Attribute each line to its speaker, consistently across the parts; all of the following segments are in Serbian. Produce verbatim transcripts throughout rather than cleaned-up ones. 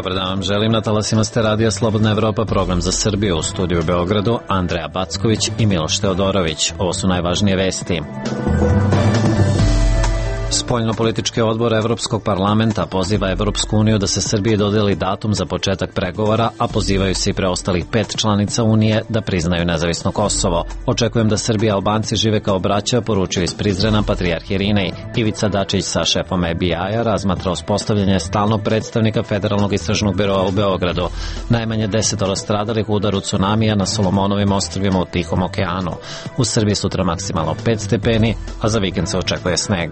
Speaker 1: Dobar dan vam želim, na talasima ste Radija Slobodna Evropa, program za Srbiju, u studiju u Beogradu Andreja Backović i Miloš Teodorović. Ovo su najvažnije vesti. Spoljnopolitički odbor Evropskog parlamenta poziva Evropsku uniju da se Srbiji dodeli datum za početak pregovora, a pozivaju se i preostalih pet članica Unije da priznaju nezavisno Kosovo. Očekujem da Srbi i Albanci žive kao braća, poručio iz Prizrena patrijarh Irinej. Ivica Dačić sa šefom F B I-a razmatra uspostavljanje stalnog predstavnika Federalnog istražnog biroa u Beogradu. Najmanje desetoro stradalih u udaru cunamija na Solomonovim ostrvima u Tihom okeanu. U Srbiji sutra maksimalno pet stepeni, a za vikend se očekuje sneg.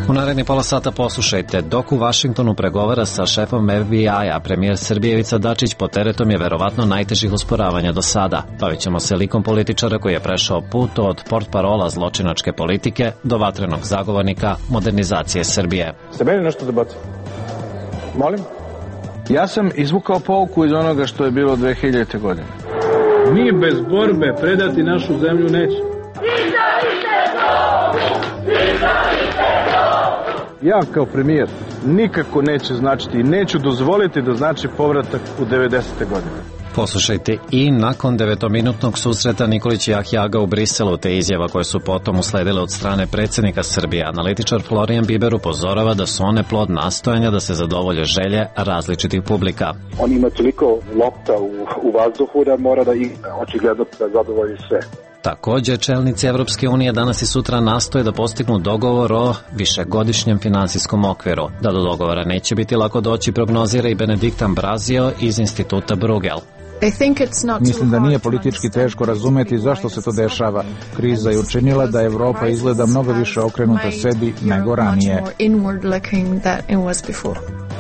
Speaker 1: U naredni pola sata poslušajte, dok u Vašingtonu pregovara sa šefom F B I-a, premijer Srbije Ivica Dačić pod teretom je verovatno najtežih usporavanja do sada. Bavit ćemo se likom političara koji je prešao put od portparola zločinačke politike do vatrenog zagovornika modernizacije Srbije.
Speaker 2: Ste meni nešto da bacim? Molim? Ja sam izvukao pouku iz onoga što je bilo dve hiljadite godine.
Speaker 3: Mi bez borbe predati našu zemlju nećemo.
Speaker 2: Ja kao premijer nikako neće značiti i neću dozvoliti da znači povratak u devedesete godine.
Speaker 1: Poslušajte i nakon devetominutnog susreta Nikolić i Ahjaga u Briselu, te izjava koje su potom usledile od strane predsjednika Srbije, analitičar Florijan Biber upozorava da su one plod nastojanja da se zadovolje želje različitih publika.
Speaker 4: On ima toliko lopta u, u vazduhu da mora da igra, očigledno da zadovolji sve.
Speaker 1: Također, čelnici Evropske unije danas i sutra nastoje da postignu dogovor o višegodišnjem finansijskom okviru. Da do dogovora neće biti lako doći, prognozira i Benedikt Ambrazio iz instituta Bruegel.
Speaker 5: Mislim da nije politički teško razumeti zašto se to dešava. Kriza je učinila da Evropa izgleda mnogo više okrenuta sebi nego ranije.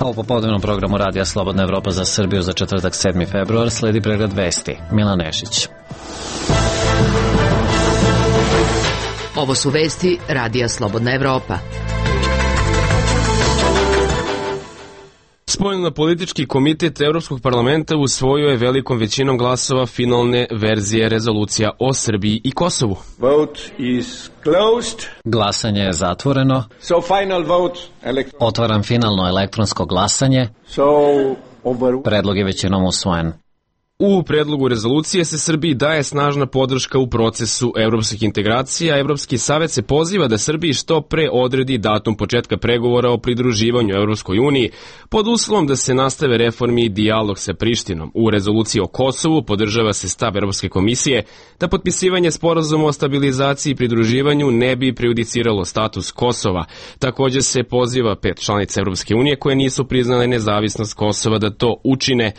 Speaker 1: A u popodnevnom programu Radija Slobodna Evropa za Srbiju za četvrtak sedmi februar sledi pregled vesti. Milan Nešić.
Speaker 6: Ovo su vesti Radija Slobodna Evropa.
Speaker 7: Spoljnopolitički komitet Evropskog parlamenta usvojio je velikom većinom glasova finalne verzije rezolucija o Srbiji i Kosovu.
Speaker 2: Vote is closed.
Speaker 1: Glasanje je zatvoreno.
Speaker 2: So final vote. Elect-
Speaker 1: Otvaram finalno elektronsko glasanje.
Speaker 2: So over...
Speaker 1: Predlog je većinom usvojen.
Speaker 7: U predlogu rezolucije se Srbiji daje snažna podrška u procesu evropskih integracija. Evropski savet se poziva da Srbiji što pre odredi datum početka pregovora o pridruživanju Evropskoj uniji pod uslovom da se nastave reformi i dijalog sa Prištinom. U rezoluciji o Kosovu podržava se stav Evropske komisije da potpisivanje sporazuma o stabilizaciji i pridruživanju ne bi prejudiciralo status Kosova. Također se poziva pet članica Evropske unije koje nisu priznale nezavisnost Kosova da to učine.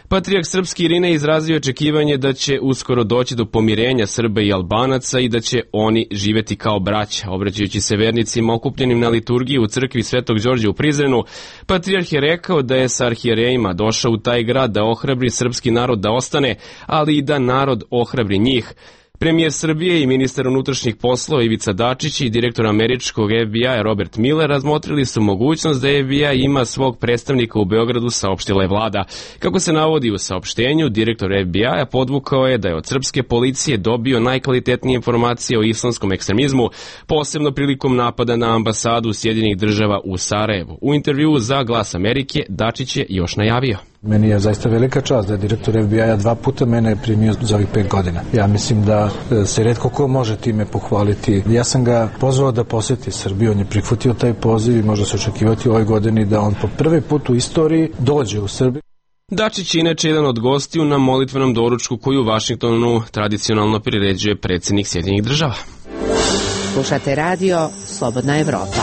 Speaker 7: Patrijarh srpski Irinej izrazio očekivanje da će uskoro doći do pomirenja Srba i Albanaca i da će oni živeti kao braća. Obraćajući se vernicima okupljenim na liturgiji u crkvi Svetog Đorđa u Prizrenu, patrijarh je rekao da je sa arhijerejima došao u taj grad da ohrabri srpski narod da ostane, ali i da narod ohrabri njih. Premijer Srbije i ministar unutrašnjih poslova Ivica Dačić i direktor američkog F B I-a Robert Miller razmotrili su mogućnost da F B I ima svog predstavnika u Beogradu, saopštila je vlada. Kako se navodi u saopštenju, direktor F B I-a podvukao je da je od srpske policije dobio najkvalitetnije informacije o islamskom ekstremizmu, posebno prilikom napada na ambasadu Sjedinjenih država u Sarajevu. U intervjuu za Glas Amerike Dačić je još najavio:
Speaker 5: Meni je zaista velika čast da je direktor F B I-a dva puta mene primio za ovih pet godina. Ja mislim da se retko ko može time pohvaliti. Ja sam ga pozvao da posjeti Srbiju, on je prihvatio taj poziv i može se očekivati u ovoj godini da on po prvi put u istoriji dođe u Srbiju.
Speaker 7: Dačić je inače jedan od gostiju na molitvenom doručku koju u Vašingtonu tradicionalno priređuje predsjednik Sjedinjenih država.
Speaker 6: Slušate radio Slobodna Evropa.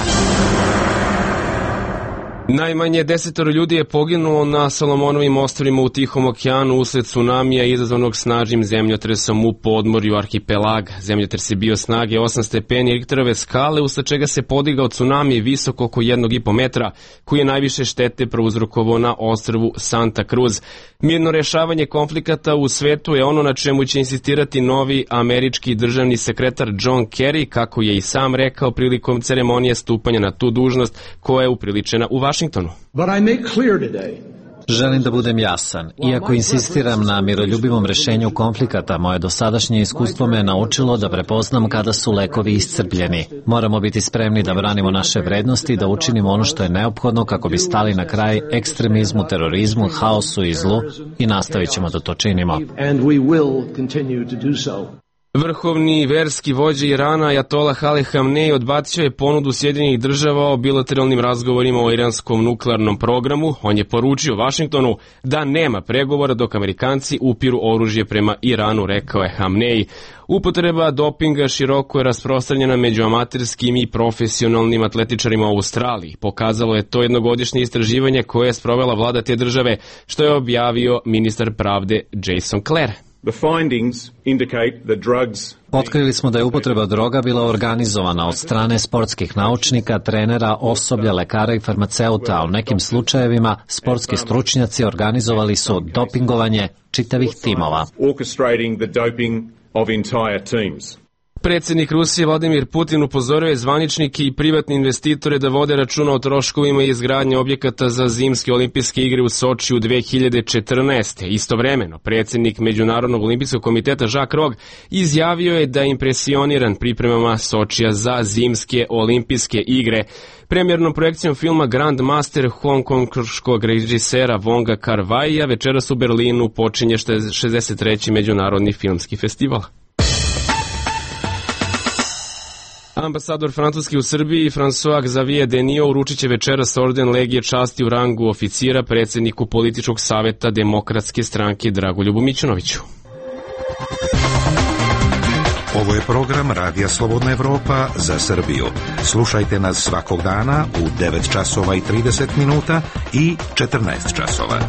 Speaker 7: Najmanje desetoro ljudi je poginulo na Solomonovim ostrvima u Tihom okeanu usled tsunamija izazvanog snažnim zemljotresom u podmorju arhipelaga. Zemljotres je bio snage osam stepeni Richterove skale, usled čega se podigao tsunami visoko oko jednog i po metra, koji je najviše štete prouzrokovao na ostrvu Santa Cruz. Mirno rješavanje konflikata u svetu je ono na čemu će insistirati novi američki državni sekretar John Kerry, kako je i sam rekao prilikom ceremonije stupanja na tu dužnost koja je upriličena u Vašingtonu.
Speaker 3: But I make clear today
Speaker 1: Želim da budem jasan. Iako insistiram na miroljubivom rešenju konflikata, moje dosadašnje iskustvo me je naučilo da prepoznam kada su lekovi iscrpljeni. Moramo biti spremni da branimo naše vrednosti i da učinimo ono što je neophodno kako bi stali na kraj ekstremizmu, terorizmu, haosu i zlu i nastavit ćemo da to činimo.
Speaker 7: Vrhovni verski vođa Irana Ajatolah Ali Hamnej odbacio je ponudu Sjedinjenih država o bilateralnim razgovorima o iranskom nuklearnom programu. On je poručio Vašingtonu da nema pregovora dok Amerikanci upiru oružje prema Iranu, rekao je Hamnej. Upotreba dopinga široko je rasprostranjena među amaterskim i profesionalnim atletičarima u Australiji. Pokazalo je to jednogodišnje istraživanje koje je sprovela vlada te države, što je objavio ministar pravde Jason Clare.
Speaker 8: The findings indicate that drugs
Speaker 1: Otkrili smo da je upotreba droga bila organizovana od strane sportskih naučnika, trenera, osoblja, lekara i farmaceuta, a u nekim slučajevima sportski stručnjaci organizovali su dopingovanje čitavih timova.
Speaker 8: orchestrating the doping of entire teams.
Speaker 7: Predsjednik Rusije Vladimir Putin upozorio je zvaničnike i privatne investitore da vode računa o troškovima i izgradnje objekata za zimske olimpijske igre u Sočiju dve hiljade četrnaeste. Istovremeno, predsjednik Međunarodnog olimpijskog komiteta Jacques Rogge izjavio je da je impresioniran pripremama Sočija za zimske olimpijske igre. Premijernom projekcijom filma Grand Master hongkonškog režisera Wonga Kar-waia večeras u Berlinu počinje šezdeset treći Međunarodni filmski festival. Ambasador Francuski u Srbiji François Xavier Denio uručit će večeras orden Legije časti u rangu oficira predsjedniku političkog saveta Demokratske stranke Dragoljubu Mićunoviću.
Speaker 9: Ovo je program Radija Slobodna Evropa za Srbiju. Slušajte nas svakog dana u devet časova i trideset minuta i četrnaest časova.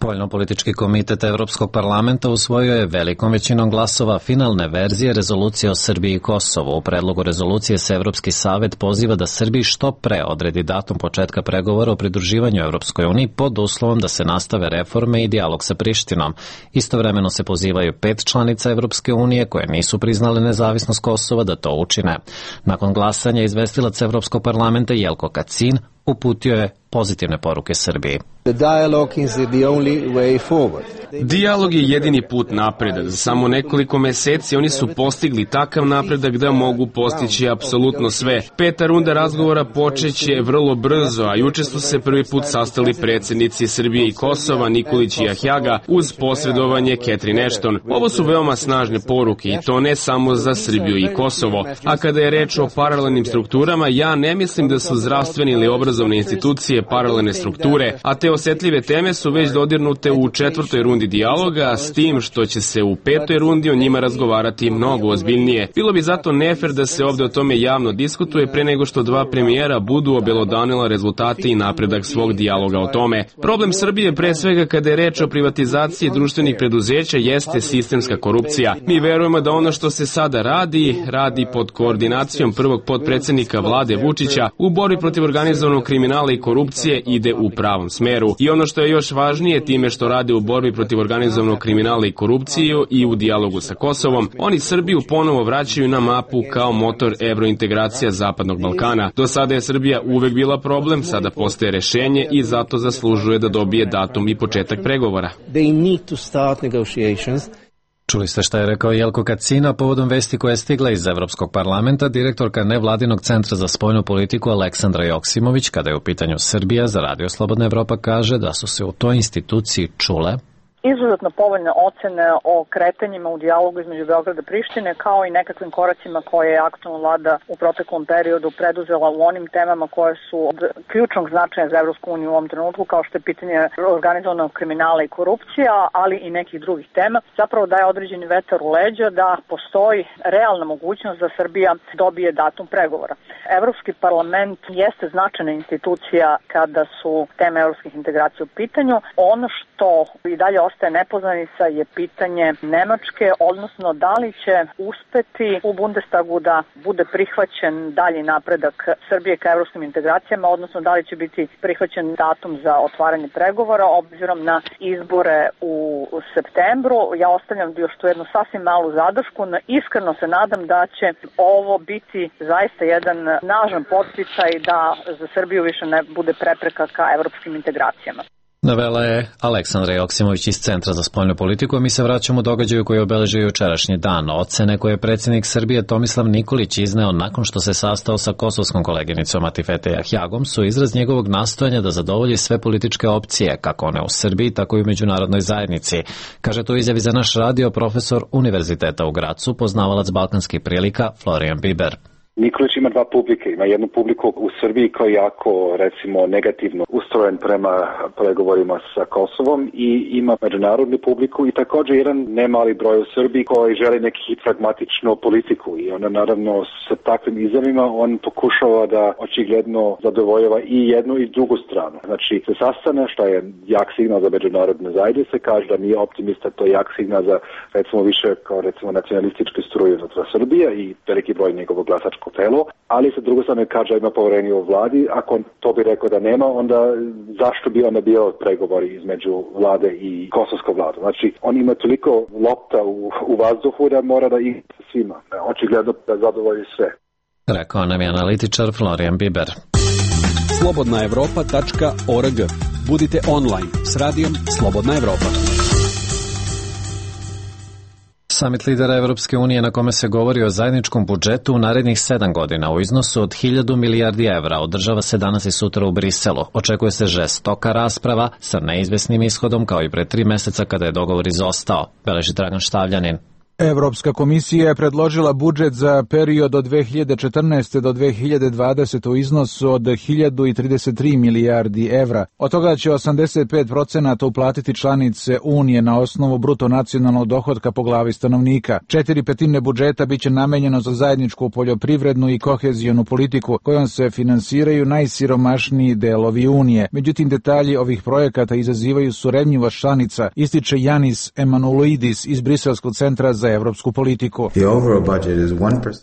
Speaker 1: Spoljnopolitički komitet Evropskog parlamenta usvojio je velikom većinom glasova finalne verzije rezolucije o Srbiji i Kosovu. U predlogu rezolucije se Evropski savet poziva da Srbiji što pre odredi datum početka pregovora o pridruživanju Evropskoj uniji pod uslovom da se nastave reforme i dijalog sa Prištinom. Istovremeno se pozivaju pet članica Evropske unije koje nisu priznale nezavisnost Kosova da to učine. Nakon glasanja izvestilac Evropskog parlamenta Jelko Kacin uputio je pozitivne poruke Srbiji.
Speaker 7: Dijalog je jedini put napred. Za samo nekoliko meseci oni su postigli takav napredak da mogu postići apsolutno sve. Peta runda razgovora počeće vrlo brzo, a juče su se prvi put sastali predsjednici Srbije i Kosova, Nikolić i Ahjaga, uz posredovanje Catherine Ashton. Ovo su veoma snažne poruke i to ne samo za Srbiju i Kosovo. A kada je reč o paralelnim strukturama, ja ne mislim da su zdravstvene ili obrazovne institucije paralelne strukture, a te osetljive teme su već dodirnute u četvrtoj rundi dijaloga, s tim što će se u petoj rundi o njima razgovarati mnogo ozbiljnije. Bilo bi zato nefer da se ovde o tome javno diskutuje pre nego što dva premijera budu obelodanila rezultate i napredak svog dijaloga o tome. Problem Srbije, pre svega kada je reč o privatizaciji društvenih preduzeća, jeste sistemska korupcija. Mi verujemo da ono što se sada radi, radi pod koordinacijom prvog potpredsednika vlade Vučića u borbi protiv organizovanog kriminala i korupcije ide u pravom smeru. I ono što je još važnije, time što rade u borbi protiv organizovanog kriminala i korupciju i u dijalogu sa Kosovom, oni Srbiju ponovo vraćaju na mapu kao motor evrointegracija Zapadnog Balkana. Do sada je Srbija uvek bila problem, sada postaje rešenje i zato zaslužuje da dobije datum i početak pregovora.
Speaker 1: Čuli ste šta je rekao Jelko Kacina povodom vesti koja je stigla iz Evropskog parlamenta. Direktorka nevladinog centra za spoljnu politiku Aleksandra Joksimović, kada je u pitanju Srbija, za Radio Slobodna Evropa kaže da su se u toj instituciji čule
Speaker 10: izuzetno povoljne ocene o kretanjima u dijalogu između Beograda i Prištine, kao i nekakvim koracima koje je aktualna vlada u proteklom periodu preduzela u onim temama koje su od ključnog značaja za Evropsku uniju u ovom trenutku, kao što je pitanje organizovanog kriminala i korupcija, ali i nekih drugih tema. Zapravo daje određeni vetar u leđa da postoji realna mogućnost da Srbija dobije datum pregovora. Evropski parlament jeste značajna institucija kada su teme evropskih integracija u pitanju. Ono što i dalje ostaje nepoznanica je pitanje Nemačke, odnosno da li će uspeti u Bundestagu da bude prihvaćen dalji napredak Srbije ka evropskim integracijama, odnosno da li će biti prihvaćen datum za otvaranje pregovora obzirom na izbore u septembru. Ja ostavljam još tu jednu sasvim malu zadršku. Iskreno se nadam da će ovo biti zaista jedan snažan podsticaj da za Srbiju više ne bude prepreka ka evropskim integracijama.
Speaker 1: Navela je Aleksandra Joksimović iz Centra za spoljnu politiku, a mi se vraćamo događaju koji obeležio jučerašnji dan. Ocene koje je predsjednik Srbije Tomislav Nikolić izneo nakon što se sastao sa kosovskom koleginicom Atifete Jahjagom su izraz njegovog nastojanja da zadovolji sve političke opcije, kako one u Srbiji, tako i u međunarodnoj zajednici. Kaže to izjavi za naš radio profesor Univerziteta u Gracu, poznavalac balkanskih prilika Florian Biber.
Speaker 4: Nikolić ima dva publike. Ima jednu publiku u Srbiji koja je jako, recimo, negativno ustrojen prema pregovorima sa Kosovom i ima međunarodnu publiku i također jedan nemali broj u Srbiji koji želi neki pragmatičnu politiku i ona naravno sa takvim izjavima on pokušava da očigledno zadovoljava i jednu i drugu stranu. Znači se sastane, što je jak signal za međunarodne zajednice, kaže da nije optimista, to je jak signal za recimo više kao recimo nacionalističke struje unutar Srbije i veliki broj njegovog glasačkog telo, ali sa druge strane kaže ima povjerenje u vladi. Ako to bi rekao da nema, onda zašto bi onda bio pregovori između vlade i kosovsko vladu? Znači, on ima toliko lopta u, u vazduhu da mora da ih svima. Očigledno da zadovolji sve.
Speaker 1: Rekao nam je analitičar Florian Biber.
Speaker 11: slobodna evropa tačka org. Budite online s radijom Slobodna Evropa.
Speaker 1: Samit lidera Evropske unije na kome se govori o zajedničkom budžetu u narednih sedam godina u iznosu od hiljadu milijardi evra održava se danas i sutra u Briselu. Očekuje se žestoka rasprava sa neizvesnim ishodom kao i pre tri meseca kada je dogovor izostao, beleži Dragan Štavljanin.
Speaker 12: Evropska komisija je predložila budžet za period od dve hiljade četrnaeste do dve hiljade dvadesete u iznosu od hiljadu trideset tri milijardi evra. Od toga će osamdeset pet procenata uplatiti članice Unije na osnovu bruto nacionalnog dohotka po glavi stanovnika. Četiri petine budžeta biće namenjeno za zajedničku poljoprivrednu i kohezionu politiku, kojom se finansiraju najsiromašniji delovi Unije. Međutim, detalji ovih projekata izazivaju surevnjivost članica, ističe Janis Emanuloidis iz Briselskog centra za evropsku politiku.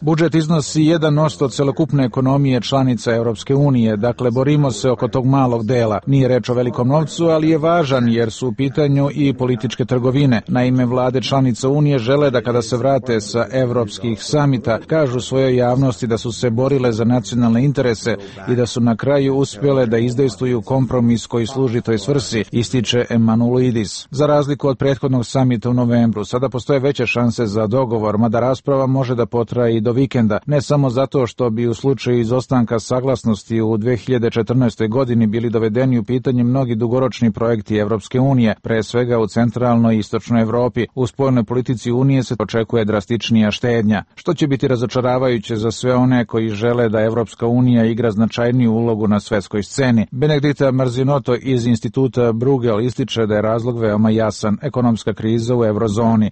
Speaker 12: Budžet iznosi jedan posto celokupne ekonomije članica Evropske unije, dakle borimo se oko tog malog dela. Nije reč o velikom novcu, ali je važan jer su u pitanju i političke trgovine. Naime, vlade članica Unije žele da kada se vrate sa evropskih samita, kažu svojoj javnosti da su se borile za nacionalne interese i da su na kraju uspjele da izdejstvuju kompromis koji služi toj svrsi, ističe Emanuloidis. Za razliku od prethodnog samita u novembru, sada postoje veće šanse za dogovor, mada rasprava može da potraje i do vikenda, ne samo zato što bi u slučaju izostanka saglasnosti u dve hiljade četrnaestoj godini bili dovedeni u pitanje mnogi dugoročni projekti Evropske unije, pre svega u centralnoj i istočnoj Evropi. U spoljnoj politici Unije se očekuje drastičnija štednja, što će biti razočaravajuće za sve one koji žele da Evropska unija igra značajniju ulogu na svetskoj sceni. Benedikta Marzinoto iz instituta Bruegel ističe da je razlog veoma jasan, ekonomska kriza u eurozoni.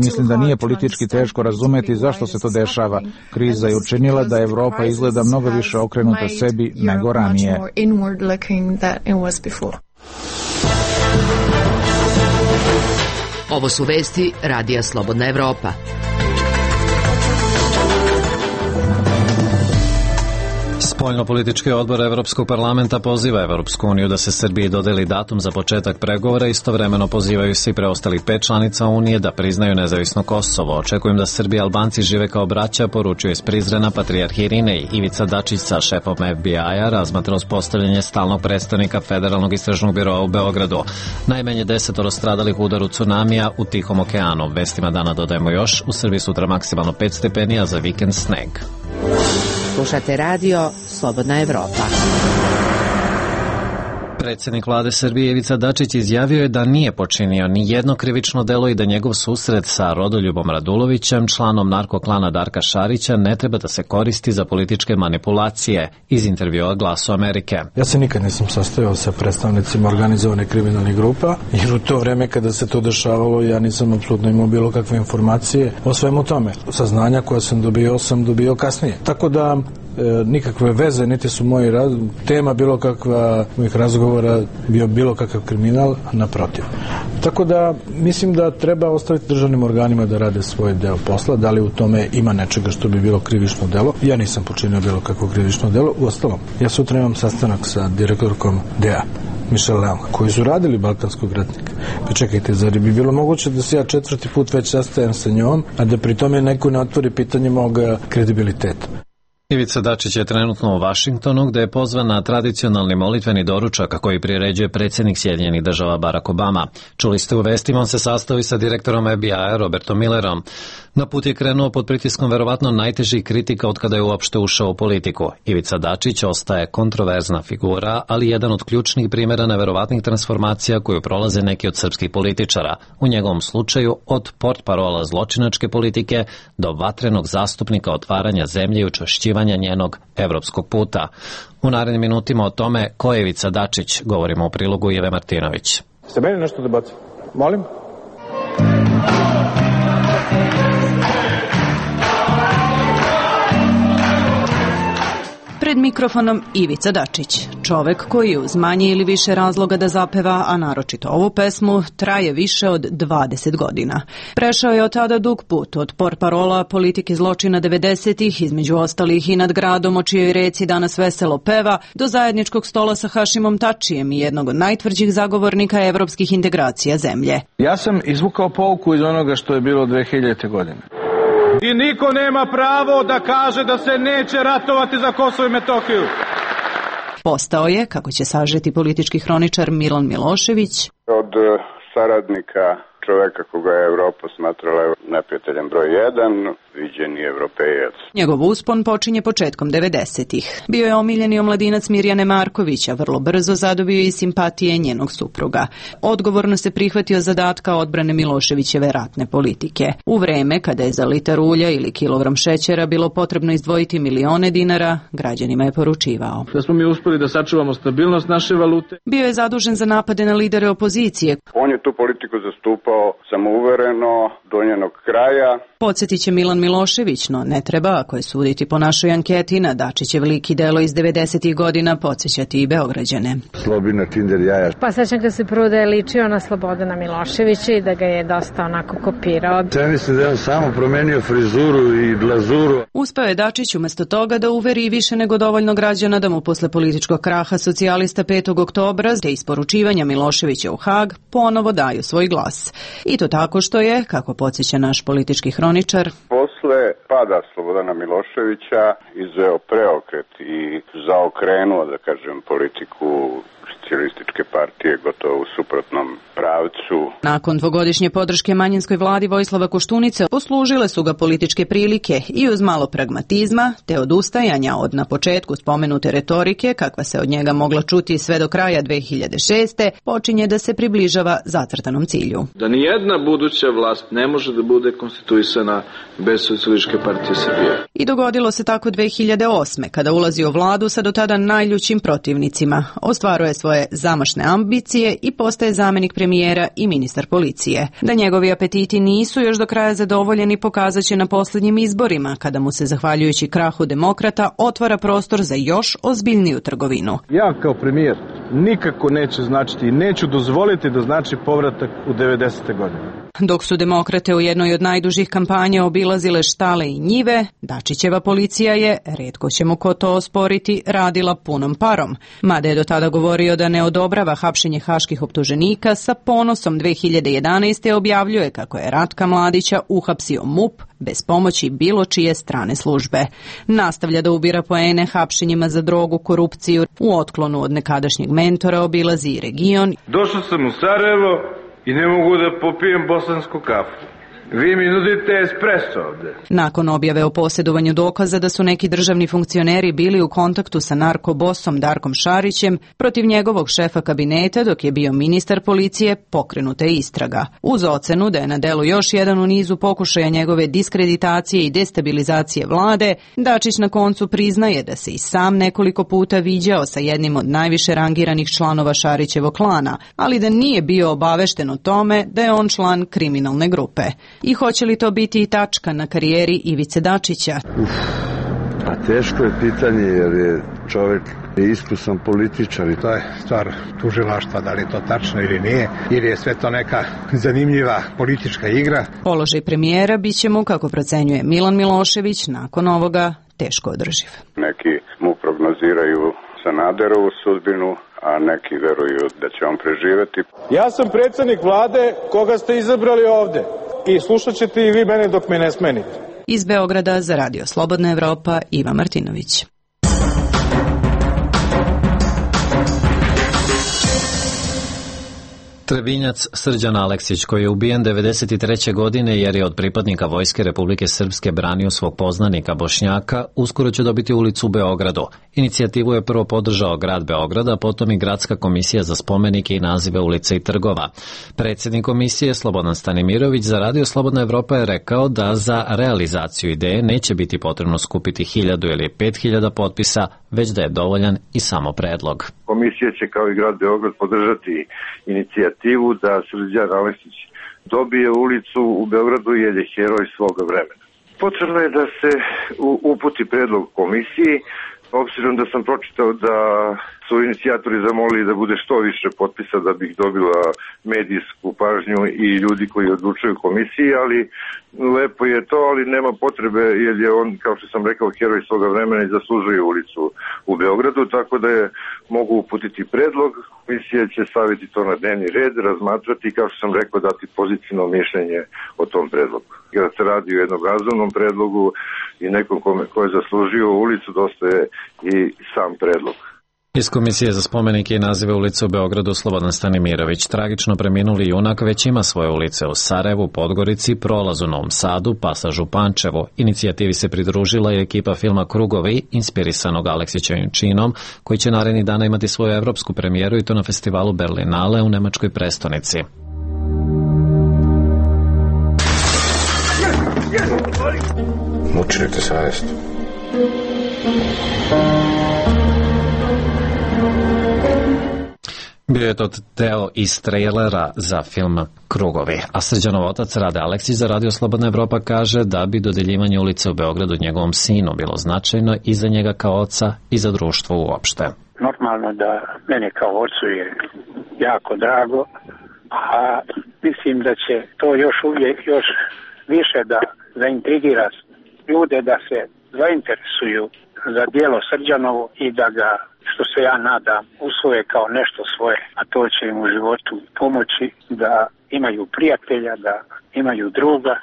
Speaker 12: Mislim da nije politički teško razumeti zašto se to dešava. Kriza je učinila da Evropa izgleda mnogo više okrenuta sebi nego ranije.
Speaker 6: Ovo su vesti Radija Slobodna Evropa.
Speaker 1: Spoljno-politički odbor Evropskog parlamenta poziva Evropsku uniju da se Srbiji dodeli datum za početak pregovora, istovremeno pozivaju se i preostalih pet članica Unije da priznaju nezavisno Kosovo. Očekujem da Srbi i Albanci žive kao braća, poručuje iz Prizrena patrijarh Irinej. Ivica Dačić sa šefom F B I-a razmatra uspostavljanje stalnog predstavnika Federalnog istražnog biroa u Beogradu. Najmanje desetoro stradalih u udaru tsunamija u Tihom okeanu. Vestima dana dodajemo još, u Srbiji sutra maksimalno pet stepeni, a za vikend sneg.
Speaker 6: Slušate radio Slobodna Evropa.
Speaker 1: Predsjednik vlade Srbije Ivica Dačić izjavio je da nije počinio ni jedno krivično delo i da njegov susret sa Rodoljubom Radulovićem, članom narkoklana Darka Šarića, ne treba da se koristi za političke manipulacije, iz intervjua Glasu Amerike.
Speaker 5: Ja se nikad nisam sastajao sa predstavnicima organizovane kriminalnih grupa, jer u to vreme kada se to dešavalo ja nisam apsolutno imao bilo kakve informacije o svemu tome. Saznanja koja sam dobio sam dobio kasnije. Tako da E, nikakve veze, niti su moji raz... tema bilo kakva mojih razgovora bio bilo kakav kriminal, naprotiv. Tako da mislim da treba ostaviti državnim organima da rade svoj deo posla, da li u tome ima nečega što bi bilo krivično delo. Ja nisam počinio bilo kakvo krivično delo. Uostalom, ja sutra imam sastanak sa direktorkom D E A, Michelle Leong, koji su radili Balkanskog ratnika. Pa čekajte, zar bi bilo moguće da se ja četvrti put već sastajem sa njom, a da pri tome neko ne otvori pitanje mog kredibiliteta?
Speaker 1: Ivica Dačić je trenutno u Vašingtonu, gde je pozvan na tradicionalni molitveni doručak koji priređuje predsjednik Sjedinjenih država Barack Obama. Čuli ste u vestima, on se sastao i sa direktorom F B I-a Robertom Millerom. Na put je krenuo pod pritiskom verovatno najtežih kritika od kada je uopšte ušao u politiku. Ivica Dačić ostaje kontroverzna figura, ali jedan od ključnih primjera neverovatnih transformacija koju prolaze neki od srpskih političara. U njegovom slučaju od portparola zločinačke politike do vatrenog zastupnika otvaranja zemlje i učvršćivanja njenog evropskog puta. U narednim minutima o tome ko je Ivica Dačić govorimo u prilogu Ive Martinović.
Speaker 2: Ste meni nešto da bacite? Molim?
Speaker 13: Pred mikrofonom Ivica Dačić, čovek koji uz manje ili više razloga da zapeva, a naročito ovu pesmu, traje više od dvadeset godina. Prešao je od tada dug put, od portparola politike zločina devedesetih, između ostalih i nad gradom o čijoj reci danas veselo peva, do zajedničkog stola sa Hašimom Tačijem i jednog od najtvrđih zagovornika evropskih integracija zemlje.
Speaker 2: Ja sam izvukao pouku iz onoga što je bilo dve hiljadite godine. I niko nema pravo da kaže da se neće ratovati za Kosovo i Metohiju.
Speaker 13: Postao je, kako će sažeti politički hroničar Milan Milošević,
Speaker 14: od saradnika čoveka koga je Evropa smatrala neprijateljem broj jedan, viđeni evropejac.
Speaker 13: Njegov uspon počinje početkom devedesetih. Bio je omiljeni omladinac Mirjane Marković, a vrlo brzo zadobio i simpatije njenog supruga. Odgovorno se prihvatio zadatka odbrane Miloševićeve ratne politike. U vreme kada je za litar ulja ili kilogram šećera bilo potrebno izdvojiti milione dinara, građanima je poručivao:
Speaker 3: da smo mi uspeli da sačuvamo stabilnost naše valute.
Speaker 13: Bio je zadužen za napade na lidere opozicije.
Speaker 14: On je tu politiku zastupao samouvereno do njenog kraja.
Speaker 13: Podsjetit će Milan Milošević, no ne treba, ako je suditi po našoj anketi, na Dačićev lik i delo iz devedesetih godina podsjećati i Beograđane.
Speaker 15: Slobina, Tinder, jaja.
Speaker 16: Pa sećam ga se prvo da je ličio na Slobodana Miloševića i da ga je dosta onako kopirao.
Speaker 15: Ja mislim da je on samo promenio frizuru i glazuru.
Speaker 13: Uspeo je Dačić umesto toga da uveri više nego dovoljno građana da mu posle političkog kraha socijalista petog oktobra te isporučivanja Miloševića u Hag ponovo daju svoj glas. I to tako što je, kako podsjeća naš politički hroničar,
Speaker 14: posle pada Slobodana Miloševića izveo preokret i zaokrenuo, da kažem, politiku socijalističke partije gotovo u suprotnom pravcu.
Speaker 13: Nakon dvogodišnje podrške manjinskoj vladi Vojislava Koštunice poslužile su ga političke prilike i uz malo pragmatizma te odustajanja od na početku spomenute retorike, kakva se od njega mogla čuti sve do kraja dve hiljade šeste. počinje da se približava zacrtanom cilju.
Speaker 3: Da ni jedna buduća vlast ne može da bude konstituisana bez Socijalističke partije Srbije.
Speaker 13: I dogodilo se tako dve hiljade osme. kada ulazi u vladu sa do tada najljućim protivnicima, ostvaruje svoje zamašne ambicije i postaje zamenik premijera i ministar policije. Da njegovi apetiti nisu još do kraja zadovoljeni pokazat će na posljednjim izborima, kada mu se, zahvaljujući krahu demokrata, otvara prostor za još ozbiljniju trgovinu.
Speaker 2: Ja kao premijer nikako neće značiti i neću dozvoliti da znači povratak u devedesete godine.
Speaker 13: Dok su demokrate u jednoj od najdužih kampanja obilazile štale i njive, Dačićeva policija je, retko će mu ko to osporiti, radila punom parom. Mada je do tada govorio da ne odobrava hapšenje haških optuženika, sa ponosom dve hiljade jedanaeste. objavljuje kako je Ratka Mladića uhapsio M U P bez pomoći bilo čije strane službe. Nastavlja da ubira poene hapšenjima za drogu, korupciju. U otklonu od nekadašnjeg mentora obilazi i region.
Speaker 2: Došao sam u Sarajevo i ne mogu da popijem bosansku kafu. Vi mi nudite espresso ovde.
Speaker 13: Nakon objave o posjedovanju dokaza da su neki državni funkcioneri bili u kontaktu sa narkobosom Darkom Šarićem, protiv njegovog šefa kabineta dok je bio ministar policije, pokrenuta je istraga. Uz ocenu da je na delu još jedan u nizu pokušaja njegove diskreditacije i destabilizacije vlade, Dačić na koncu priznaje da se i sam nekoliko puta viđao sa jednim od najviše rangiranih članova Šarićevog klana, ali da nije bio obavešten o tome da je on član kriminalne grupe. I hoće li to biti i tačka na karijeri Ivice Dačića?
Speaker 2: Uf,
Speaker 15: A teško je pitanje jer je čovjek iskusan političar.
Speaker 17: To je stvar tužilaštva, da li je to tačno ili nije, ili je sve to neka zanimljiva politička igra.
Speaker 13: Položaj premijera bit će mu, kako procenjuje Milan Milošević, nakon ovoga teško održiv.
Speaker 14: Neki mu prognoziraju Sanaderovu sudbinu, a neki veruju da će on preživeti.
Speaker 2: Ja sam predsjednik vlade koga ste izabrali ovde i slušat ćete i vi mene dok me ne smenite.
Speaker 13: Iz Beograda za Radio Slobodna Evropa, Iva Martinović.
Speaker 1: Trebinjac Srđan Aleksić, koji je ubijen devedeset treće godine jer je od pripadnika Vojske Republike Srpske branio svog poznanika Bošnjaka, uskoro će dobiti ulicu u Beogradu. Inicijativu je prvo podržao grad Beograda, potom i Gradska komisija za spomenike i nazive ulica i trgova. Predsjednik komisije Slobodan Stanimirović za Radio Slobodna Evropa je rekao da za realizaciju ideje neće biti potrebno skupiti hiljadu ili pet hiljada potpisa, već da je dovoljan i samo predlog.
Speaker 18: Komisija će kao i grad Beograd podržati inicijativu da Srđan Aleksić dobije ulicu u Beogradu jer je heroj svoga vremena. Potrebno je da se uputi predlog komisiji, obzirom da sam pročitao da su inicijatori zamolili da bude što više potpisa da bih dobila medijsku pažnju i ljudi koji odlučuju komisiji, ali lepo je to, ali nema potrebe jer je on, kao što sam rekao, heroj svoga vremena i zaslužuje ulicu u Beogradu, tako da je mogu uputiti predlog, komisija će staviti to na dnevni red, razmatrati i kao što sam rekao dati pozitivno mišljenje o tom predlogu. Kada se radi o jednom razumnom predlogu i nekom ko je zaslužio ulicu, dosta je i sam predlog.
Speaker 1: Iz Komisije za spomenike i nazive ulice u Beogradu Slobodan Stanimirović, tragično preminuli junak, već ima svoje ulice u Sarajevu, Podgorici, Prolazu, Novom Sadu, Pasažu, Pančevu. Inicijativi se pridružila i ekipa filma Krugovi, inspirisanog Aleksićevim činom, koji će narednih dana imati svoju evropsku premijeru i to na festivalu Berlinale u nemačkoj prestonici.
Speaker 19: Mučite savjest.
Speaker 1: Bio je to deo iz trailera za film Krugovi, a Srđanov otac Rade Aleksić za Radio Slobodna Evropa kaže da bi dodeljivanje ulice u Beogradu njegovom sinu bilo značajno i za njega kao oca i za društvo uopšte.
Speaker 20: Normalno da mene kao ocu je jako drago, a mislim da će to još uvijek još više da zaintrigira ljude da se zainteresuju za djelo Srđanovo i da ga, što se ja nadam, usvoje kao nešto svoje, a to će im u životu pomoći da imaju prijatelja, da imaju druga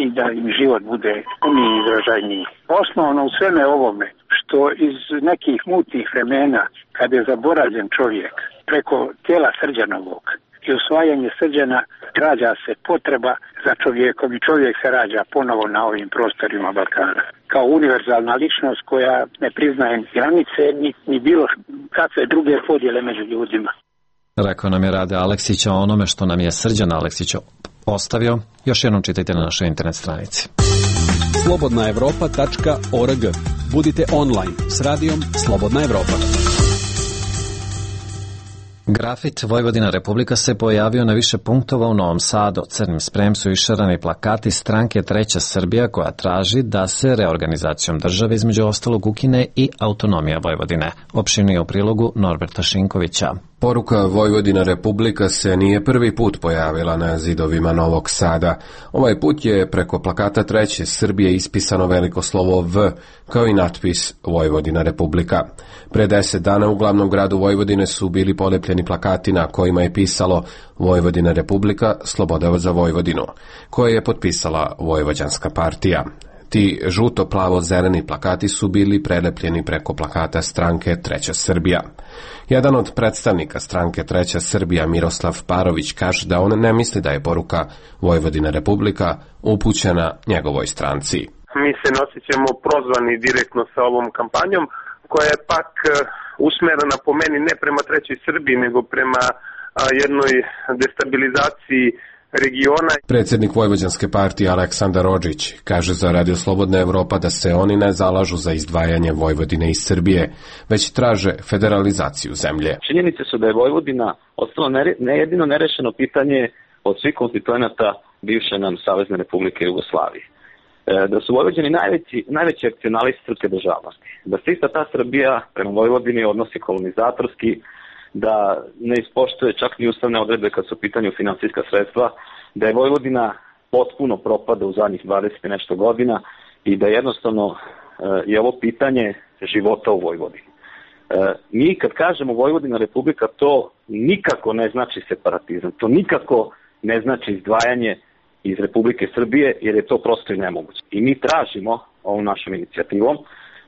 Speaker 20: i da im život bude puniji i izražajniji. Osnovno u sveme ovome, što iz nekih mutnih vremena, kad je zaboravljen čovjek, preko tijela Srđanovog i usvajanje Srđana, rađa se potreba za čovjekom i čovjek se rađa ponovo na ovim prostorima Balkana. Kao univerzalna ličnost koja ne priznaje granice ni, ni bilo kakve druge podjele među ljudima.
Speaker 1: Rekao nam je Rade Aleksić o onome što nam je Srđan Aleksić ostavio. Još jednom čitajte na našoj internet stranici.
Speaker 11: slobodna evropa tačka org. Budite online s radijom Slobodna Evropa.
Speaker 1: Grafit Vojvodina Republika se pojavio na više punktova u Novom Sadu. Crnim sprem su išarani plakati stranke Treća Srbija koja traži da se reorganizacijom države između ostalog ukine i autonomija Vojvodine. Opširnije u prilogu Norberta Šinkovića.
Speaker 21: Poruka Vojvodina Republika se nije prvi put pojavila na zidovima Novog Sada. Ovaj put je preko plakata Treće Srbije ispisano veliko slovo V, kao i natpis Vojvodina Republika. Pre deset dana u glavnom gradu Vojvodine su bili polepljeni plakati na kojima je pisalo Vojvodina Republika, sloboda za Vojvodinu, koje je potpisala Vojvođanska partija. Ti žuto-plavo-zeleni plakati su bili prelepljeni preko plakata stranke Treća Srbija. Jedan od predstavnika stranke Treća Srbija, Miroslav Parović, kaže da on ne misli da je poruka Vojvodina Republika upućena njegovoj stranci.
Speaker 22: Mi se nosit ćemo prozvani direktno sa ovom kampanjom, koja je pak usmerena po meni ne prema Trećoj Srbiji, nego prema jednoj destabilizaciji regiona.
Speaker 21: Predsjednik Vojvođanske partije Aleksandar Odžić kaže za Radio Slobodna Evropa da se oni ne zalažu za izdvajanje Vojvodine iz Srbije, već traže federalizaciju zemlje.
Speaker 23: Činjenice su da je Vojvodina ostalo ne jedino nerešeno pitanje od svih konstituenata bivše nam Savezne Republike Jugoslavije. da su Vojvođani najveći, najveći akcionalisti srpske državnosti, da se ista ta Srbija prema Vojvodini odnosi kolonizatorski, da ne ispoštuje čak ni ustavne odredbe kad su u pitanju finansijska sredstva, da je Vojvodina potpuno propada u zadnjih dvadeset i nešto godina i da jednostavno je ovo pitanje života u Vojvodini. Mi kad kažemo Vojvodina Republika, to nikako ne znači separatizam, to nikako ne znači izdvajanje iz Republike Srbije, jer je to prosto i nemoguće. I mi tražimo ovom našom inicijativom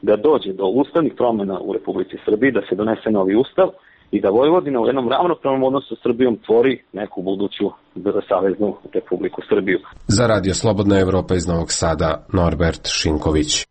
Speaker 23: da dođe do ustavnih promjena u Republici Srbiji, da se donese novi ustav i da Vojvodina u jednom ravnopravnom odnosu sa Srbijom tvori neku buduću saveznu Republiku Srbiju.
Speaker 21: Za Radio Slobodna Evropa iz Novog Sada, Norbert Šinković.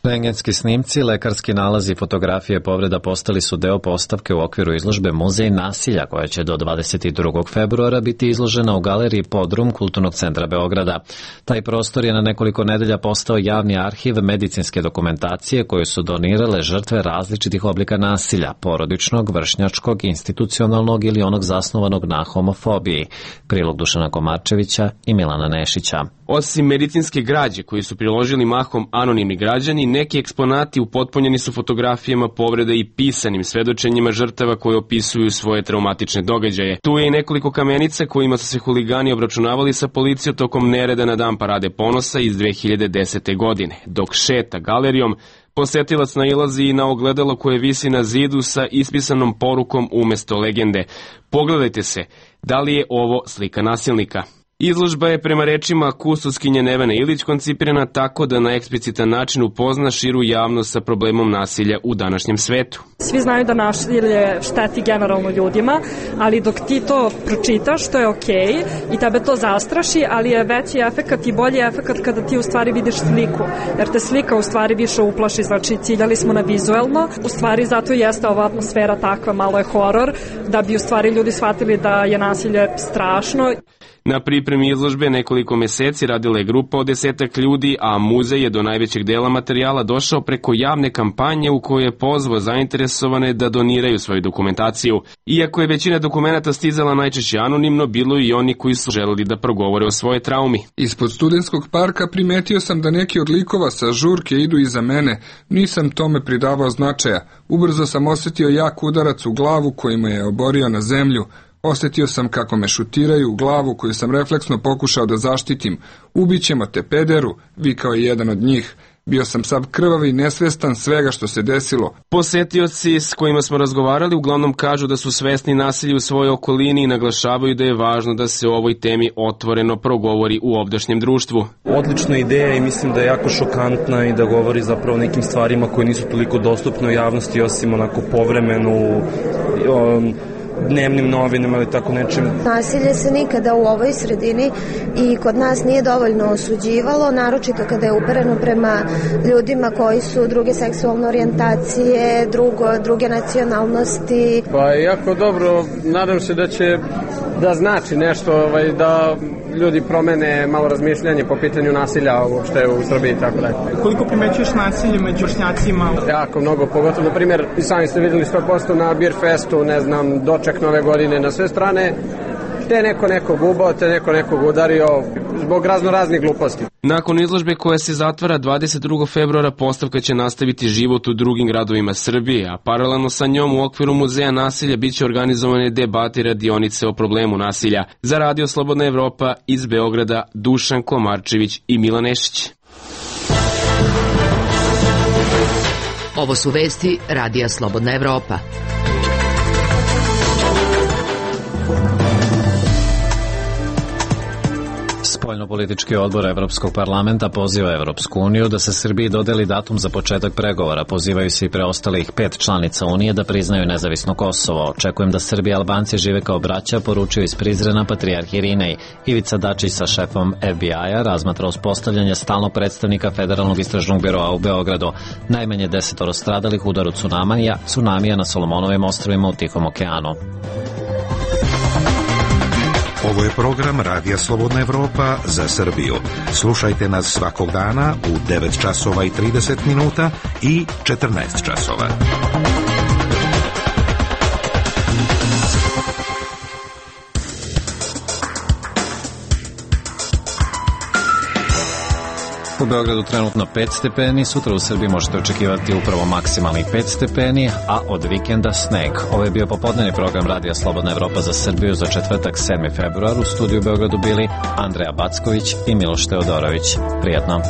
Speaker 1: Rentgenski snimci, lekarski nalazi i fotografije povreda postali su deo postavke u okviru izložbe Muzej nasilja, koja će do dvadeset drugog februara biti izložena u galeriji Podrum Kulturnog centra Beograda. Taj prostor je na nekoliko nedelja postao javni arhiv medicinske dokumentacije koju su donirale žrtve različitih oblika nasilja, porodičnog, vršnjačkog, institucionalnog ili onog zasnovanog na homofobiji. Prilog Dušana Komarčevića i Milana Nešića.
Speaker 7: Osim medicinske građe koju su priložili mahom anonimni građani, neki eksponati upotpunjeni su fotografijama povreda i pisanim svedočenjima žrtava koje opisuju svoje traumatične događaje. Tu je i nekoliko kamenica kojima su se huligani obračunavali sa policijom tokom nereda na dan Parade ponosa iz dve hiljade desete. godine. Dok šeta galerijom, posetilac nailazi i na ogledalo koje visi na zidu sa ispisanom porukom umesto legende. Pogledajte se, da li je ovo slika nasilnika? Izložba je prema rečima kustoskinje Nevene Ilić koncipirana tako da na eksplicitan način upozna širu javnost sa problemom nasilja u današnjem svetu.
Speaker 8: Svi znaju da nasilje šteti generalno ljudima, ali dok ti to pročitaš, to je okej i tebe to zastraši, ali je veći efekat i bolji efekat kada ti u stvari vidiš sliku, jer te slika u stvari više uplaši, znači ciljali smo na vizuelno, u stvari zato jeste ova atmosfera takva, malo je horor, da bi u stvari ljudi shvatili da je nasilje strašno.
Speaker 7: Na pripremi izložbe nekoliko meseci radila je grupa od desetak ljudi, a muzej je do najvećeg dela materijala došao preko javne kampanje u kojoj je pozvao zainteresovane da doniraju svoju dokumentaciju. Iako je većina dokumenata stizala najčešće anonimno, bilo i oni koji su želeli da progovore o svoje traumi.
Speaker 9: Ispod Studentskog parka primetio sam da neki od likova sa žurke idu iza mene. Nisam tome pridavao značaja. Ubrzo sam osjetio jak udarac u glavu koji me je oborio na zemlju. Osjetio sam kako me šutiraju u glavu koju sam refleksno pokušao da zaštitim. Ubićemo te, pederu, vikao je jedan od njih. Bio sam sav krvav i nesvestan svega što se desilo.
Speaker 7: Posetioci s kojima smo razgovarali uglavnom kažu da su svesni nasilja u svojoj okolini i naglašavaju da je važno da se o ovoj temi otvoreno progovori u ovdašnjem društvu.
Speaker 19: Odlična ideja i mislim da je jako šokantna i da govori zapravo o nekim stvarima koje nisu toliko dostupne u javnosti, osim onako povremenu um, dnevnim novinama ili tako nečim.
Speaker 24: Nasilje se nikada u ovoj sredini i kod nas nije dovoljno osuđivalo, naročito kada je upereno prema ljudima koji su druge seksualne orijentacije, drugo, druge nacionalnosti.
Speaker 25: Pa jako dobro, nadam se da će da znači nešto, ovaj, da ljudi promene malo razmišljanje po pitanju nasilja uopšte u Srbiji i tako dalje.
Speaker 26: Koliko primećuješ nasilje među vršnjacima?
Speaker 25: Jako mnogo, pogotovo, na primjer, i sami ste vidjeli sto posto na Beer Festu, ne znam, doček nove godine na sve strane, te neko nekog ubao, te neko nekog udario zbog razno raznih gluposti.
Speaker 7: Nakon izložbe koja se zatvara dvadeset drugog februara, postavka će nastaviti život u drugim gradovima Srbije, a paralelno sa njom u okviru Muzeja nasilja biće organizovane debate i radionice o problemu nasilja. Za Radio Slobodna Evropa iz Beograda, Dušan Komarčević i Milan Nešić.
Speaker 6: Ovo su vesti Radija Slobodna Evropa.
Speaker 1: Spoljnopolitički odbor Evropskog parlamenta poziva Evropsku uniju da se Srbiji dodeli datum za početak pregovora. Pozivaju se i preostalih pet članica Unije da priznaju nezavisno Kosovo. Očekujem da Srbi i Albanci žive kao braća, poručio iz Prizrena patrijarh Irinej. Ivica Dačić sa šefom F B I-a razmatra uspostavljanje stalnog predstavnika Federalnog istražnog biroa u Beogradu. Najmanje desetoro stradalih u udaru tsunamija, tsunamija na Solomonovim ostrvima u Tihom okeanu.
Speaker 27: Ovo je program Radija Slobodna Evropa za Srbiju. Slušajte nas svakog dana u devet časova i trideset minuta i četrnaest časova.
Speaker 1: U Beogradu trenutno pet stepeni, sutra u Srbiji možete očekivati upravo maksimalni pet stepeni, a od vikenda sneg. Ovo je bio popodnevni program Radija Slobodna Evropa za Srbiju za četvrtak sedmi februar. U studiju u Beogradu bili Andreja Backović i Miloš Teodorović. Prijetno.